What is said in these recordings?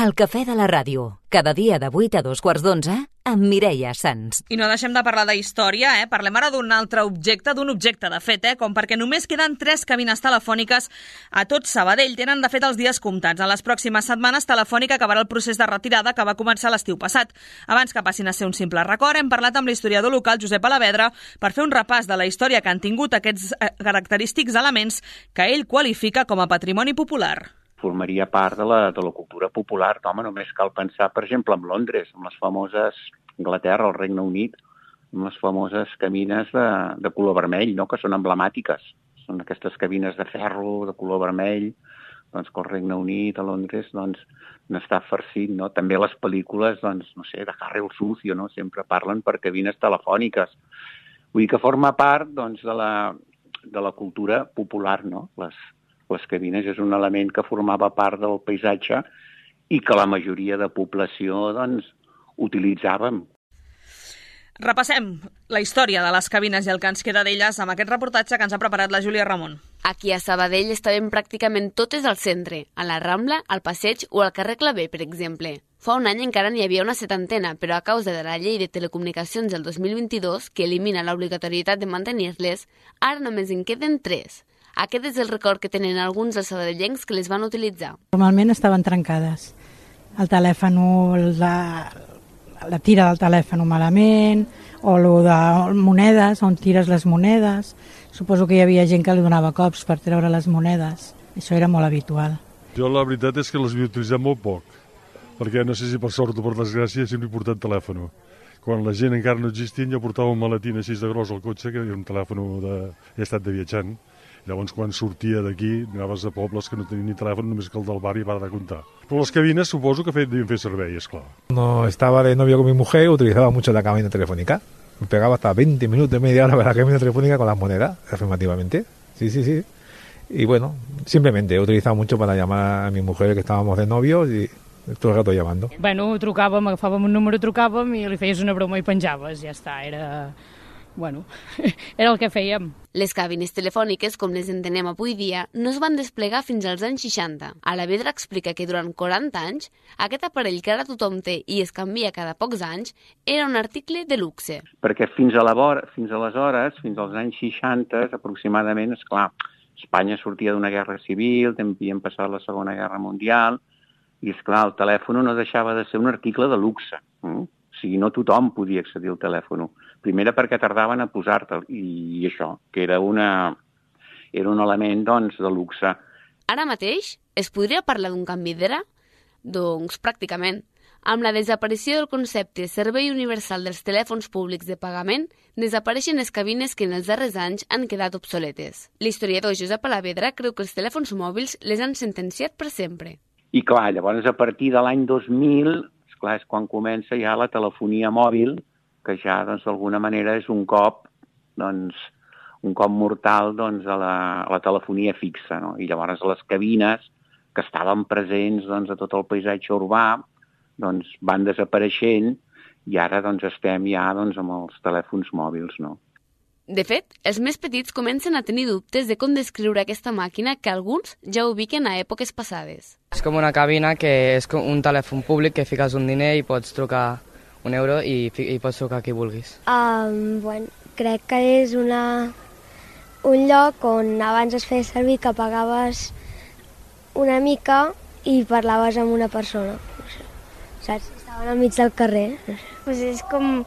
El cafè de la ràdio, cada dia de 8 a 2:15, amb Mireia Sans. I no deixem de parlar d'història, Parlem ara d'un altre objecte, de fet, com perquè només queden 3 cabines telefòniques a tot Sabadell. Tenen, de fet, els dies comptats. En les pròximes setmanes, Telefònica acabarà el procés de retirada que va començar l'estiu passat. Abans que passin a ser un simple record, hem parlat amb l'historiador local Josep Alavedra per fer un repàs de la història que han tingut aquests característics elements que ell qualifica com a patrimoni popular. Formaria part de la cultura popular. Home, només cal pensar, per exemple, en Londres, amb les famoses Anglaterra, el Regne Unit, amb les famoses cabines de color vermell, no?, que són emblemàtiques. Són aquestes cabines de ferro de color vermell, doncs, que el Regne Unit, a Londres, doncs, n'està farcit, no? També les pel·lícules, doncs, no sé, de Harry el Sucio, no?, sempre parlen per cabines telefòniques. Vull dir que forma part, doncs, de la cultura popular, no?, les cabines és un element que formava part del paisatge i que la majoria de població, doncs, utilitzàvem. Repassem la història de les cabines i el que ens queda d'elles amb aquest reportatge que ens ha preparat la Júlia Ramon. Aquí a Sabadell estaven pràcticament totes al centre, a la Rambla, al Passeig o al carrer Clavé, per exemple. Fa un any encara n'hi havia una 70, però a causa de la llei de telecomunicacions del 2022, que elimina l'obligatorietat de mantenir-les, ara només en queden 3. Aquest és el record que tenen alguns dels sabadellencs que les van utilitzar. Normalment estaven trencades. El telèfon, la tira del telèfon malament, o el de monedes, on tires les monedes. Suposo que hi havia gent que li donava cops per treure les monedes. Això era molt habitual. Jo la veritat és que les havia utilitzat molt poc, perquè no sé si per sort o per desgràcia sempre he portat telèfon. Quan la gent encara no existia, jo portava un maletín així de gros al cotxe, que era un telèfon he estat de viatjant. Llavors, quan sortia d'aquí, anaves a pobles que no tenien ni telèfon, només que el del barri va de comptar. Però les cabines suposo que devien fer servei, esclar. Cuando estaba de novio con mi mujer, utilizaba mucho la cabina telefónica. Me pegaba hasta 20 minutos, media hora para la cabina telefónica con las monedas, afirmativamente. Sí. Y bueno, simplemente he utilizado mucho para llamar a mi mujer, que estábamos de novios, y tot el rato llamando. Bueno, trucàvem, agafàvem un número, trucàvem i li feies una broma i penjaves, ja està, era el que fèiem. Les cabines telefòniques, com les entenem avui dia, no es van desplegar fins als anys 60. Alavedra explica que durant 40 anys, aquest aparell que ara tothom té i es canvia cada pocs anys, era un article de luxe. Perquè fins aleshores, fins als anys 60, aproximadament, esclar, Espanya sortia d'una guerra civil, també havien passat la Segona Guerra Mundial, i esclar, el telèfon no deixava de ser un article de luxe. O sigui, no tothom podia accedir al telèfon. Primera perquè tardaven a posar-te'l, i això, que era un element, doncs, de luxe. Ara mateix es podria parlar d'un canvi d'era? Doncs pràcticament. Amb la desaparició del concepte servei universal dels telèfons públics de pagament, desapareixen les cabines que en els darrers anys han quedat obsoletes. L'historiador Josep Alavedra creu que els telèfons mòbils les han sentenciat per sempre. I clar, llavors a partir de l'any 2000, esclar, és quan comença ja la telefonia mòbil, que ja, doncs, d'alguna manera és un cop mortal, doncs, a la telefonia fixa, no? I llavors les cabines que estaven presents, doncs, a tot el paisatge urbà, doncs, van desapareixent i ara, doncs, estem ja, doncs, amb els telèfons mòbils, no? De fet, els més petits comencen a tenir dubtes de com descriure aquesta màquina que alguns ja ubiquen a èpoques passades. És com una cabina que és un telèfon públic que fiques un diner i pots trucar €1 i pots trucar a qui vulguis. Crec que és un lloc on abans es feia servir que pagaves una mica i parlaves amb una persona. Saps? Estaven al mig del carrer. Pues és com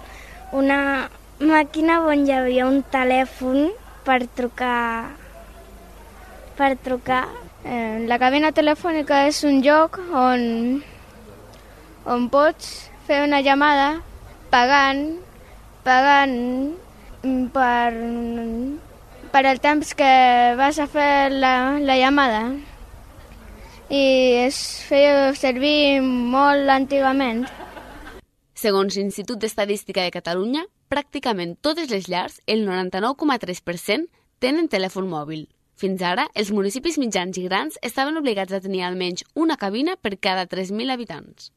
una màquina on hi havia un telèfon per trucar. La cabina telefònica és un lloc on pots fer una llamada pagant per el temps que vas a fer la llamada. I es feia servir molt antigament. Segons l'Institut d'Estadística de Catalunya, pràcticament totes les llars, el 99,3%, tenen telèfon mòbil. Fins ara, els municipis mitjans i grans estaven obligats a tenir almenys una cabina per cada 3.000 habitants.